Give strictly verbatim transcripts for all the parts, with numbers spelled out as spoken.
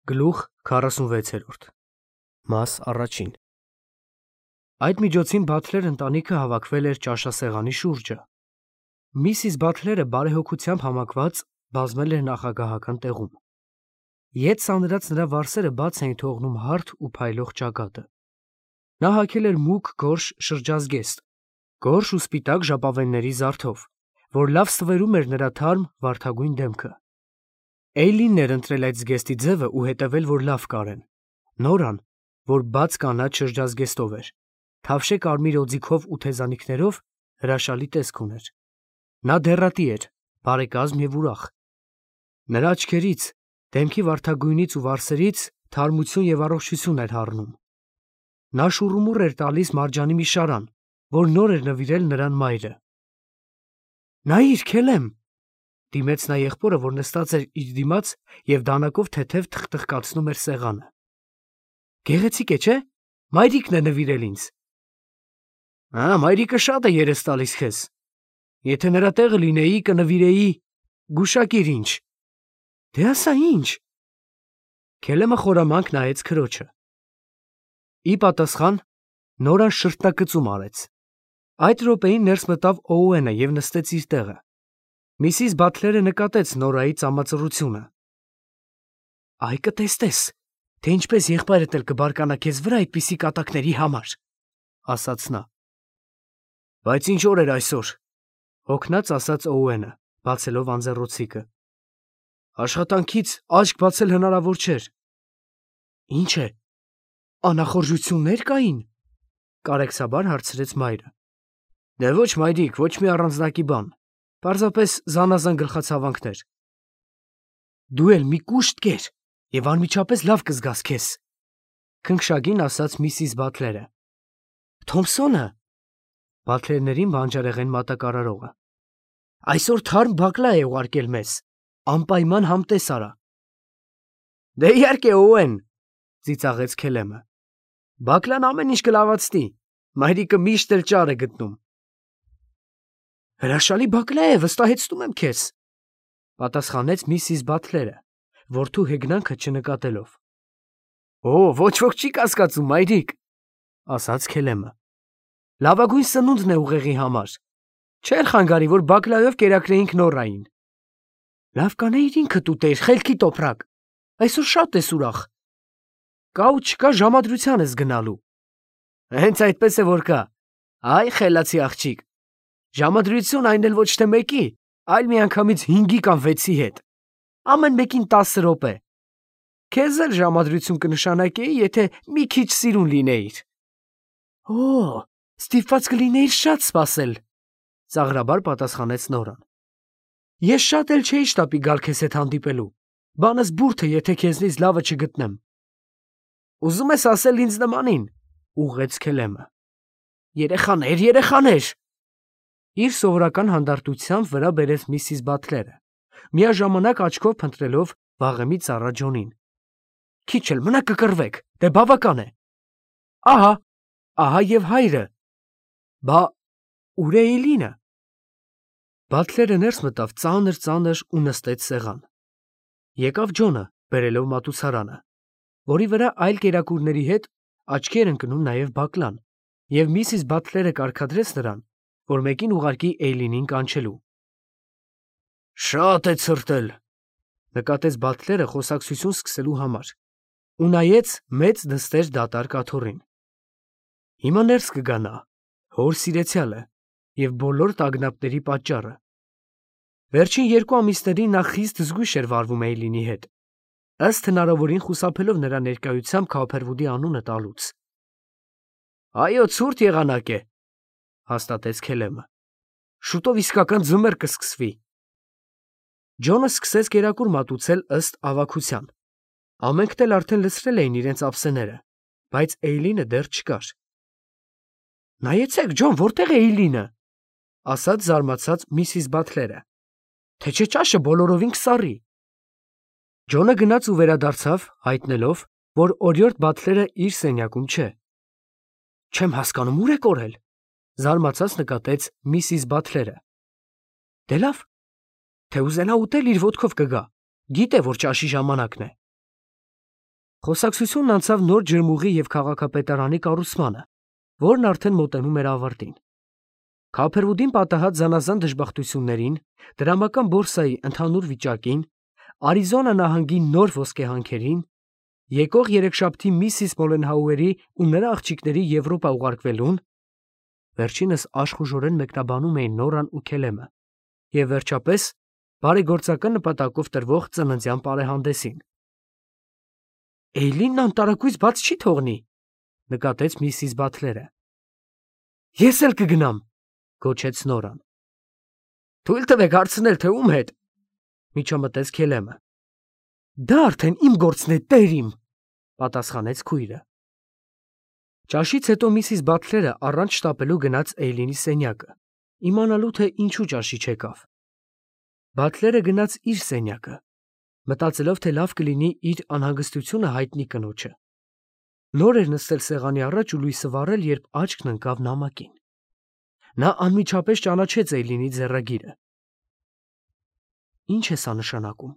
Գլուխ քառասունվեցերորդ Մաս առաջին Այդ միջոցին Բաթլեր ընտանիքը հավաքվել էր ճաշասեղանի շուրջը։ Միսիս Բաթլերը բարեհոգությամբ համակված բազմել էր նախագահական տեղում։ Ետ սանրած նրա վարսերը բաց էին թողնում հարթ ու փայլող ճակատը։ Նա հագել էր մուգ գորշ շրջազգեստ, գորշ ու սպիտակ ժապավենների զարդով, որ լավ ստվերում էր նրա թարմ վարդագույն դեմքը։ Էյլինն էր ընտրել այդ զգեստի ձևը ու հետևել, որ լավ կարեն։ Նորան, որ բաց կանաչ շրջազգեստով էր, թավշե կարմիր օձիքով ու թեզանիքներով հրաշալի տեսք ուներ։ Նա դեռատի էր, բարեկազմ և ուրախ։ Նրա աչքերից, դեմքի վարդագույնից ու վարսերից թարմություն և առողջություն էր հառնում։ Նա շուռումուռ էր տալիս Մարջանի մի շարան, որ նոր էր նվիրել նրան մայրը։ «Նայիր, Քելեմ», դիմեց նա եղբորը, որ նստած էր իր դիմաց և դանակով թեթև թխթխկացնում էր սեղանը։ «Գեղեցիկ է, չէ՞, մայրիկն է նվիրել ինձ»։ «Ա, մայրիկը շատ է երես տալիս քեզ։ Եթե նրա տեղը լինեի, կնվիրեի, գուշակիր ինչ»։ «Դե ասա ինչ»։ Քելեմը խորամանկ նայեց քրոջը։ Ի պատասխան Նորան շրթնակծում արեց։ Այդ րոպեին ներս մտավ Օուենը և նստեց իր տեղը։ Միսիս Բաթլերը նկատեց Նորայի ծամածռությունը։ «Այ կտեսնես, թե ինչպես եղբայրդ էլ կբարկանա քեզ վրա այդպիսի կատակների համար», ասաց նա։ «Բայց ինչ օր էր այսօր», հոգնած ասաց Օուենը, բացելով անձեռնոցիկը։ «Աշխատանքից աչք բացել հնարավոր չէր»։ «Ինչ է, անախորժություննե՞ր կային», կարեկցաբար հարցրեց մայրը։ «Դե ոչ, մայրիկ, ոչ մի առանձնակի բան, պարզապես զանազան գլխացավանքներ»։ «Դու էլ մի կուշտ կեր և անմիջապես լավ կզգաս քեզ», քնքշագին ասաց միսիս Բաթլերը։ «Թոմփսոնը», Բաթլերներին բանջարեղեն մատակարարողը, «այսօր թարմ բակլա է ուղարկել մեզ, անպայման համտես արա»։ «Դե իհարկե, Օուեն», ծիծաղեց Քելեմը։ «Բակլան ամեն ինչ կլավացնի, մայրիկը միշտ էլ ճար է գտնում»։ «Հրաշալի բակլա է, վստահեցնում եմ քեզ», պատասխանեց միսիս Բաթլերը, որդու հեգնանքը չնկատելով։ «Օ, ոչ ոք չի կասկածում, մայրիկ», ասաց Քելեմը։ «Լավագույն սնունդն է ուղեղի համար։ Չէր խանգարի, որ բակլայով կերակրեինք Նորային»։ «Լավ կանեիր ինքդ ուտեիր, խելքի տոպրակ, այսօր շատ ես ուրախ։ Կա ու չկա ժամադրության ես գնալու»։ «Հենց այդպես է որ կա, այ խելացի աղջիկ, ժամադրություն այն էլ ոչ թե մեկի, այլ միանգամից հինգի կամ վեցի հետ, ամեն մեկին տասը րոպե։ Քեզ էլ ժամադրություն կնշանակեի, եթե մի քիչ սիրուն լինեիր»։ «Օ, ստիպված կլինեիր շատ սպասել», ծաղրաբար պատասխանեց Նորան։ «Ես շատ էլ չէի շտապի գալ քեզ հետ հանդիպելու, բանս բուրդ է, եթե քեզնից լավը չգտնեմ»։ «Ուզում ես ասել ինձ նմանին», ուղղեց Քելեմը։ «Երեխաներ, երեխաներ», իր սովորական հանդարտությամբ վրա բերեց միսիս Բաթլերը, միաժամանակ աչքով փնտրելով վաղեմի ծառա Ջոնին։ «Քիչ էլ մնա կկռվեք, դե բավական է։ Ահա, ահա և հայրը։ Բա ուր է Էյլինը»։ Բաթլերը ներս մտավ ծանր-ծանր ու նստեց սեղան։ Եկավ Ջոնը, բերելով մատուցարանը, որի վրա այլ կերակուրների հետ աչքի էր ընկնում նաև բակլան, և միսիս Բաթլերը կարգադրեց նրան, որ մեկին ուղարկի Էյլինին կանչելու։ «Շատ է ցրտել», նկատեց Բաթլերը խոսակցություն սկսելու համար, ու նայեց մեծ դստեր դատարկ աթոռին։ Հիմա ներս կգա նա, հոր սիրեցյալը և բոլոր տագնապների պատճառը։ Վերջին երկու ամիսներին նա խիստ զգույշ էր վարվում Էյլինի հետ, ըստ հնարավորին խուսափելով նրա ներկայությամբ Քոփերվուդի անունը տալուց։ «Այո, ցուրտ եղանակ է», հաստատեց Քելեմը։ «Շուտով իսկական ձմեռ կսկսվի»։ Ջոնը սկսեց կերակուր մատուցել ըստ ավագության։ Ամենքն էլ արդեն լցրել էին իրենց ափսեները, բայց Էյլինը դեռ չկար։ «Նայեցեք, Ջոն, որտե՞ղ է Էյլինը», ասաց զարմացած միսիս Բաթլերը, «թե չէ ճաշը բոլորովին կսառի»։ Ջոնը գնաց ու վերադարձավ, հայտնելով, որ օրիորդ Բաթլերը իր սենյակում չէ։ «Չեմ հասկանում, ո՞ւր է կորել», զարմացած նկատեց միսիս Բաթլերը։ «Դե լավ, թե ուզենա ուտել, իր ոտքով կգա, գիտե, որ ճաշի ժամանակն է»։ Խոսակցությունն անցավ նոր ջրմուղի և քաղաքապետարանի կառուցմանը, որն արդեն մոտենում էր ավարտին։ Քափերվուդին պատահած զանազան դժբախտություններին, դրամական բորսայի ընդհանուր վիճակին, Արիզոնա նահանգի նոր ոսկեհանքերին, եկող երեքշաբթի միսիս Մոլենհաուերի ու նրա աղջիկների Եվրոպա ուղարկվելուն, վերջինս աշխուժորեն մեկնաբանում էին Նորան ու Քելեմը, և վերջապես բարեգործական նպատակով տրվող ծննդյան պարեհանդեսին։ Էյլինն անտարակույս բաց չի թողնի, նկատեց միսիս Բաթլերը։ Ես էլ կգնամ, գոչեց Նորան։ Թույլ տվեք հարցնել, թե ում հետ, միջամտեց Քելեմը։ Դա արդեն իմ գործն է, տեր իմ, պատասխանեց քույրը։ Ճաշից հետո միսիս Բաթլերը առանց շտապելու գնաց Էյլինի սենյակը, իմանալու թե ինչու ճաշի չեկավ։ Բաթլերը գնաց իր սենյակը, մտածելով, թե լավ կլինի իր անհանգստությունը հայտնի կնոջը։ Նոր էր նստել սեղանի առաջ ու լույսը վառել, երբ աչքն ընկավ նամակին։ Նա անմիջապես ճանաչեց Էյլինի ձեռագիրը։ Ինչ է սա նշանակում։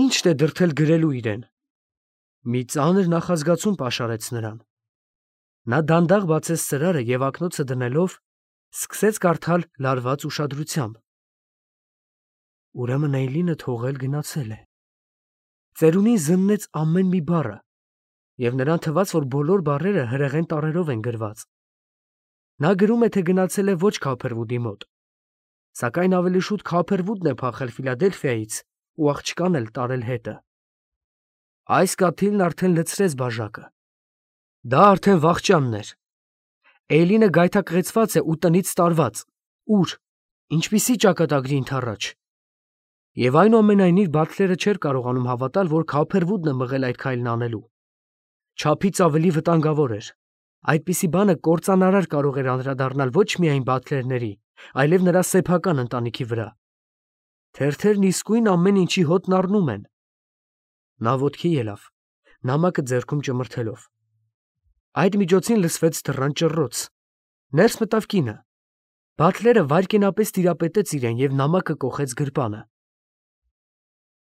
Ի՞նչն է դրդել գրելու իրեն։ Մի ծանր նախազգացում պաշարեց նրան։ Նա դանդաղ բացեց ծրարը և ակնոցը դնելով, սկսեց կարդալ լարված ուշադրությամբ։ Ուրեմն Էյլինը թողել գնացել է։ Ծերունին զննեց ամեն մի բառը, և նրան թվաց, որ բոլոր բառերը հրեղեն տառերով են գրված։ Նա գրում է, թե գնացել է ոչ Քափերվուդի մոտ, սակայն ավելի շուտ Քափերվուդն է փախել Ֆիլադելֆիայից ու աղջկան էլ տարել հետը։ Այս կաթիլն արդեն լցրեց բաժակը։ Դա արդեն վախճանն էր։ Էյլինը գայթակղեցված է ու տնից տարված։ Ուր, ինչպիսի ճակատագրի ընդառաջ։ Եվ այնուամենայնիվ Բաթլերը չէր կարողանում հավատալ, որ Քափերվուդն է մղել այդ քայլն անելու։ Չափից ավելի վտանգավոր էր։ Այդպիսի բանը կործանարար կարող էր անդրադառնալ ոչ միայն Բաթլերների, այլև նրա սեփական ընտանիքի վրա։ Թերթերն իսկույն ամեն ինչի հոտն առնում են։ Նա ոտքի ելավ, նամակը ձեռքում ճմրթելով։ Այդ միջոցին լսվեց դռան ճռռոց։ Ներս մտավ կինը։ Բաթլերը վայրկենապես տիրապետեց իրեն և նամակը կոխեց գրպանը։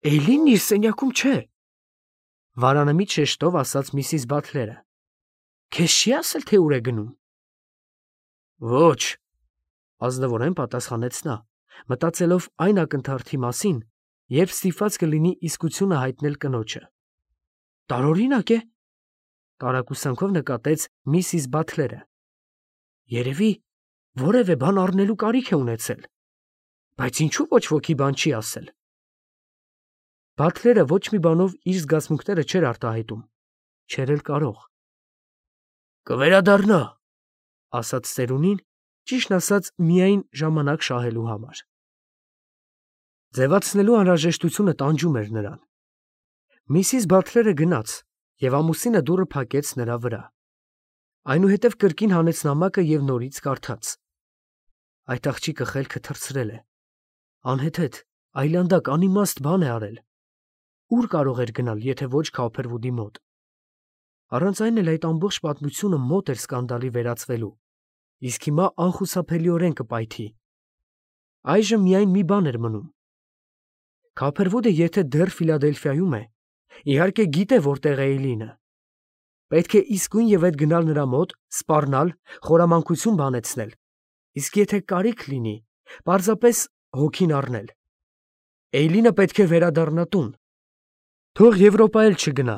Էյլինն իր սենյակում չէ, վարանմիտ շեշտով ասաց միսիս Բաթլերը։ Քեզ չի ասել, թե ուր է գնում։ Ոչ, ազնվորեն պատասխանեց նա, մտածելով այն ակնթարթի մասին, երբ ստիպված կլինի իսկությունը հայտնել կնոջը։ Տարօրինակ է, տարակուսանքով նկատեց միսիս Բաթլերը։ Երևի որևէ բան առնելու կարիք է ունեցել, բայց ինչու ոչ ոքի բան չի ասել։ Բաթլերը ոչ մի բանով իր զգացմունքները չէր արտահայտում, չէր էլ կարող։ Կվերադառնա, ասաց ծերունին, ճիշտն ասած, միայն ժամանակ շահելու համար։ Ձևացնելու անհրաժեշտությունը տանջում էր նրան։ Միսիս Բաթլերը գնաց, և ամուսինը դուռը փակեց նրա վրա։ Այնուհետև կրկին հանեց նամակը և նորից կարդաց։ Այդ աղջիկը խելքը թռցրել է։ Անհեթեթ, այլանդակ, անիմաստ բան է արել։ Ուր կարող էր գնալ, եթե ոչ Քափերվուդի մոտ։ Առանց այն էլ այդ ամբողջ պատմությունը մոտ էր սկանդալի վերածվելու, իսկ հիմա անխուսափելիորեն կպայթի։ Այժմ միայն մի բան էր մնում։ Քափերվուդը եթե դեռ Ֆիլադելֆիայում է, իհարկե գիտե որտեղ է Էյլինը։ Պետք է իսկույն և այդ գնալ նրա մոտ, սպառնալ, խորամանկություն բանեցնել, իսկ եթե կարիք լինի, պարզապես հոգին առնել։ Էյլինը պետք է վերադառնա տուն։ Թող Եվրոպա էլ չգնա,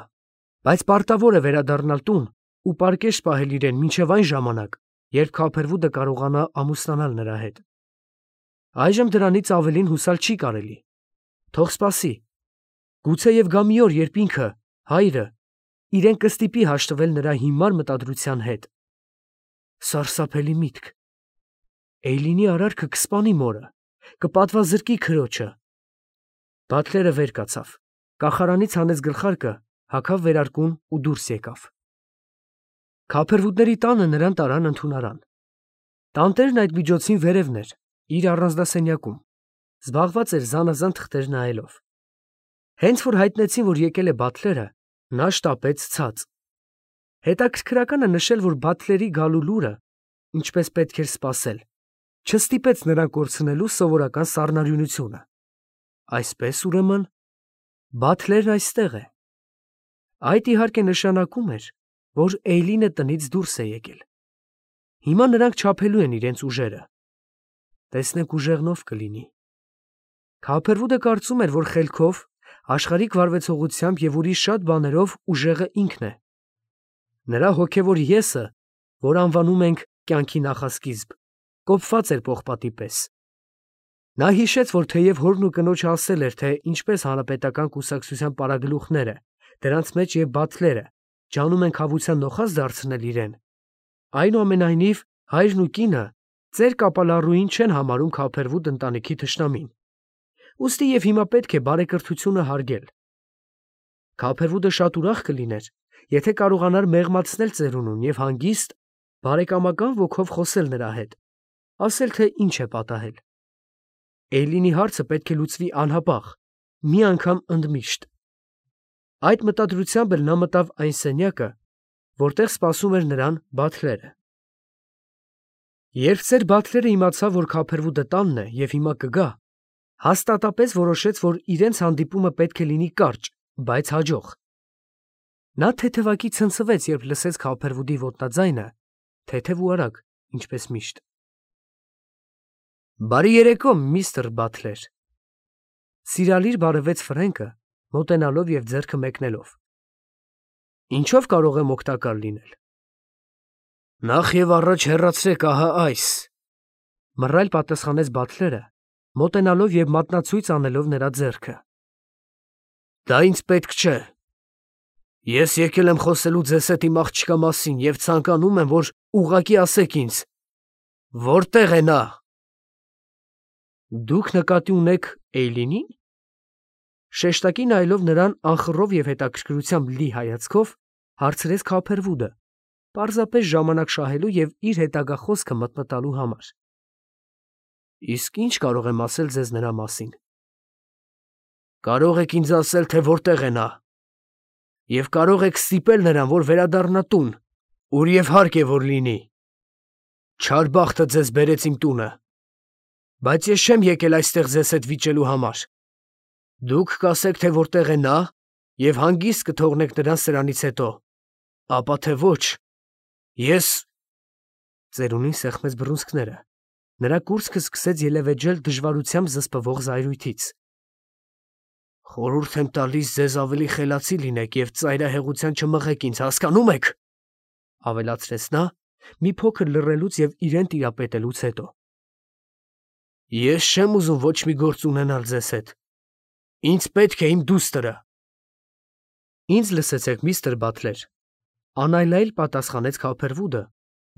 բայց պարտավոր է վերադառնալ տուն ու պարկեշտ պահել իրեն մինչև այն ժամանակ, երբ Քափերվուդը կարողանա ամուսնանալ նրա հետ։ Այժմ դրանից ավելին հուսալ չի կարելի։ Թող սպասի։ Գուցեև գա մի օր, երբ ինքը, հայրը, իրեն կստիպի հաշտվել նրա հիմար մտադրության հետ։ Սարսափելի միտք։ Էյլինի արարքը կսպանի մորը, կպատվազրկի քրոջը։ Բաթլերը վեր կացավ, կախարանից հանեց գլխարկը, հագավ վերարկուն ու դուրս եկավ։ Քափերվուդների տանը նրան տարան ընդունարան։ Տանտերն այդ միջոցին վերևն էր, իր առանձնասենյակում, զբաղված էր զանազան թղթեր նայելով։ Հենց որ հայտնեցին, որ եկել է Բաթլերը, նա շտապեց ցած։ Հետաքրքրական է նշել, որ Բաթլերի գալու լուրը, ինչպես պետք էր սպասել, չստիպեց նրան կորցնելու սովորական սառնարյունությունը։ Այսպես, ուրեմն, Բաթլերն այստեղ է։ Այդ իհարկե նշանակում էր, որ Էյլինը տնից դուրս է եկել։ Հիմա նրանք չափելու են իրենց ուժերը։ Տեսնենք ուժեղնով կլինի։ Քափերվուդը կարծում էր, որ խելքով, աշխարհիկ վարվեցողությամբ և ուրիշ շատ բաներով ուժեղը ինքն է։ Նրա հոգևոր եսը, որ անվանում ենք կյանքի նախասկիզբ, կոփված էր պողպատի պես։ Նա հիշեց, որ թեև հորն ու կնոջը ասել էր, թե ինչպես հանրապետական կուսակցության պարագլուխները, դրանց մեջ և Բաթլերը, ջանում են քավության նոխազ դարձնել իրեն, այնուամենայնիվ հայրն ու կինը ծեր կապալառուին չեն համարում Քափերվուդ ընտանիքի թշնամին։ Ուստի և հիմա պետք է բարեկրթությունը հարգել։ Քափերվուդը շատ ուրախ կլիներ, եթե կարողանար մեղմացնել ծերունուն և հանգիստ, բարեկամական ոգով խոսել նրա հետ, ասել, թե ինչ է պատահել։ Էյլինի հարցը պետք է լուծվի անհապաղ, մի անգամ ընդմիշտ։ Այդ մտադրությամբ էլ նա մտավ այն սենյակը, որտեղ սպասում էր նրան Բաթլերը։ Երբ ծեր Բաթլերը իմացավ, որ Քափերվուդը տանն է և հիմա կգա, հաստատապես որոշեց, որ իրենց հանդիպումը պետք է լինի կարճ, բայց հաջող։ Նա թեթևակի ցնցվեց, երբ լսեց Քափերվուդի ոտնաձայնը, թեթև ու արագ, ինչպես միշտ։ Բարի երեկո, միստր Բաթլեր։ Սիրալիր բարևեց Ֆրենկը, մոտենալով և ձեռքը մեկնելով։ Ինչով կարող եմ օգտակար լինել։ Նախ և առաջ հեռացրեք ահա այս, մռայլ պատասխանեց Բաթլերը, մոտենալով և մատնացույց անելով նրա ձեռքը։ Դա ինձ պետք չէ։ Ես եկել եմ խոսելու ձեզ հետ իմ աղջկա մասին և ցանկանում եմ, որ ուղղակի ասեք ինձ, որտե՞ղ է նա։ Դուք նկատի ունեք Էյլինի՞ն։ Շեշտակի նայելով նրան անխռով և հետաքրքրությամբ լի հայացքով, հարցրեց Քափերվուդը, պարզապես ժամանակ շահելու և իր հետագա խոսքը մտմտալու համար։ Իսկ ի՞նչ կարող եմ ասել ձեզ նրա մասին։ Կարող եք ինձ ասել, թե որտեղ է նա, և կարող եք ստիպել նրան, որ վերադառնա տուն, ուր և հարկ է, որ լինի։ Չար բախտը ձեզ բերեց իմ տունը, բայց ես չեմ եկել այստեղ ձեզ հետ վիճելու համար։ Դուք կասեք, թե որտեղ է նա, և հանգիստ կթողնեք նրան սրանից հետո, ապա թե ոչ, ես… Ծերունին սեղմեց բռունցքները, նրա կուրծքը սկսեց ելևէջել դժվարությամբ զսպվող զայրույթից։ Խորհուրդ եմ տալիս ձեզ ավելի խելացի լինեք և ծայրահեղության չմղեք ինձ, հասկանո՞ւմ եք, ավելացրեց նա, մի փոքր լռելուց և իրեն տիրապետելուց հետո։ Ես չեմ ուզում ոչ մի գործ ունենալ ձեզ հետ։ Ինձ պետք է իմ դուստրը։ Ինձ լսեցեք, միստր Բաթլեր, անայլայլ պատասխանեց Քափերվուդը,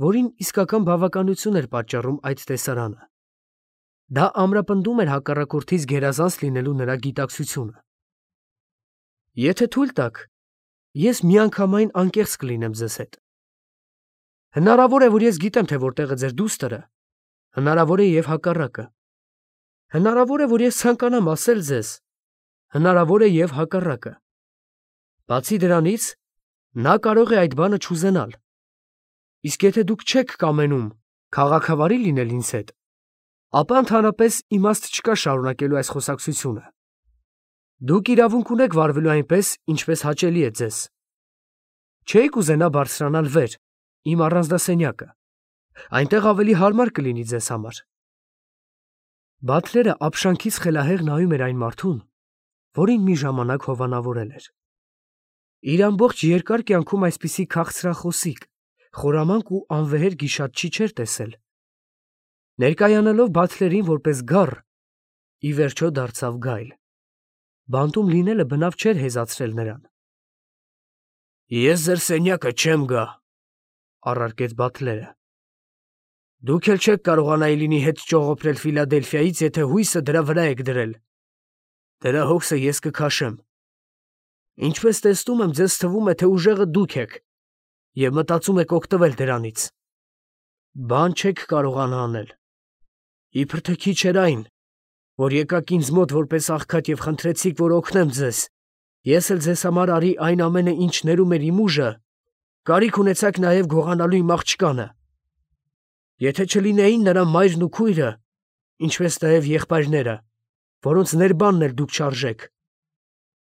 որին իսկական բավականություն էր պատճառում այդ տեսարանը։ Դա ամրապնդում էր հակառակորդից գերազանց լինելու նրա գիտակցությունը։ Եթե թույլ տաք, ես միանգամայն անկեղծ կլինեմ ձեզ հետ։ Հնարավոր է, որ ես գիտեմ, թե որտեղ է ձեր դուստրը, հնարավոր է և հակառակը։ Հնարավոր է, որ ես ցանկանամ ասել ձեզ, հնարավոր է և հակառակը։ Բացի դրանից, նա կարող է այդ բանը չուզենալ։ Իսկ եթե դուք չեք կամենում քաղաքավարի լինել ինձ հետ, ապա ընդհանրապես իմաստ չկա շարունակելու այս խոսակցությունը։ Դուք իրավունք ունեք վարվելու այնպես, ինչպես հաճելի է ձեզ։ Չէիք ուզենա բարձրանալ վեր, իմ առանձնասենյակը, այնտեղ ավելի հարմար կլինի ձեզ համար։ Բաթլերը ապշանքից խելահեղ նայում էր այն մարդուն, որին մի ժամանակ հովանավորել էր։ Իր ամբողջ երկար կյանքում այսպիսի քաղցրախոսիկ, խորամանկ ու անվեհեր գիշատչի չէր տեսել։ Ներկայանալով Բաթլերին որպես գառ, ի վերջո դարձավ գայլ։ Բանտում լինելը բնավ չէր հեզացրել նրան։ Ես ձեր սենյակը չեմ գա, առարկեց Բաթլերը։ Դուք էլ չեք կարողանա Էյլինի հետ ճողոպրել Ֆիլադելֆիայից, եթե հույսը դրա վրա եք դրել։ Դրա հոգսը ես կքաշեմ։ Ինչպես տեսնում եմ, ձեզ թվում է, թե ուժեղը դուք եք, և մտածում եք օգտվել դրանից։ Բան չեք կարողանա անել։ Իբր թե քիչ էր այն, որ եկաք ինձ մոտ որպես աղքատ և խնդրեցիք, որ օգնեմ ձեզ, ես էլ ձեզ համար արի այն ամենը, ինչ ներում էր իմ ուժը, կարիք ունեցաք նաև գողանալու իմ աղջկանը։ Եթե չլինեին նրա մայրն ու քույրը, ինչպես նաև եղբայրները, որոնց ներբանն էլ դուք չարժեք,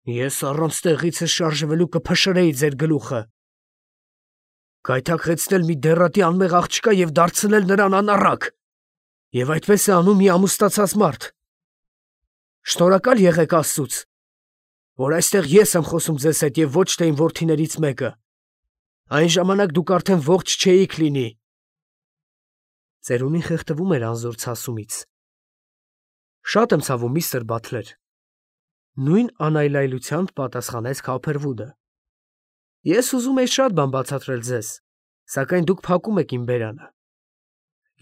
Ես առանց տեղիցս շարժվելու կփշրեի ձեր գլուխը, գայթակղեցնել մի դեռատի անմեղ աղջկա և դարձնել նրան անառակ, և այդպես է անում մի ամուսնացած մարդ։ Շնորհակալ եղեք Աստծուց, որ այստեղ ես եմ խոսում ձեզ հետ և ոչ թե իմ որդիներից մեկը, այն ժամանակ դուք արդեն ողջ չէիք լինի։ Ծերունին խեղդվում էր անզոր ցասումից։ Շատ եմ ցավում, միստր Բաթլեր, նույն անայլայլությամբ պատասխանեց Քոփերվուդը։ Ես ուզում էի շատ բան բացատրել ձեզ, սակայն դուք փակում եք իմ բերանը։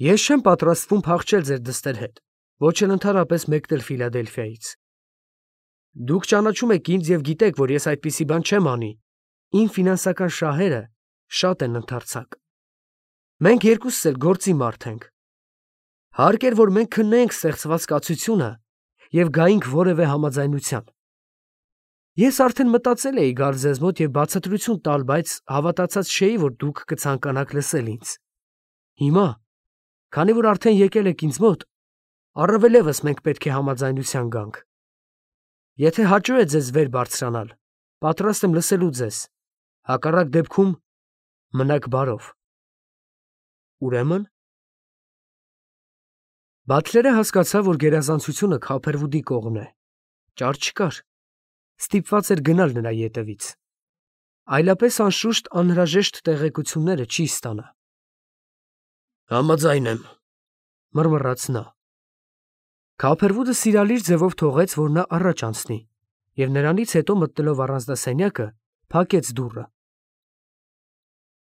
Ես չեմ պատրաստվում փախչել ձեր դստեր հետ, ոչ էլ ընդհանրապես մեկնել Ֆիլադելֆիայից։ Դուք ճանաչում եք ինձ և գիտեք, որ ես այդպիսի բան չեմ անի։ Իմ ֆինանսական շահերը շատ են ընդարձակ։ Մենք երկուսս էլ գործի մարդ ենք։ Հարկ էր, որ մենք քննեինք ստեղծված կացությունը և գայինք որևէ համաձայնության։ Ես արդեն մտածել էի գալ ձեզ մոտ և բացատրություն տալ, բայց հավատացած չէի, որ դուք կցանկանաք լսել ինձ։ Հիմա, քանի որ արդեն եկել եք ինձ մոտ, առավել ևս մենք պետք է համաձայնության գանք։ Եթե հաճո է ձեզ վեր բարձրանալ, պատրաստ եմ լսելու ձեզ, հակառակ դեպքում մնաք բարով։ Ուրեմն… Բաթլերը հասկացավ, որ գերազանցությունը Քոփերվուդի կողմն է։ Ճար չկար։ Ստիպված էր գնալ նրա ետևից։ Այլապես անշուշտ անհրաժեշտ տեղեկությունները չի ստանա։ Համաձայն եմ, մռմռաց նա։ Քոփերվուդը սիրալիր ձևով թողեց, որ նա առաջ անցնի, և նրանից հետո մտնելով առանձնասենյակը, փակեց դուռը։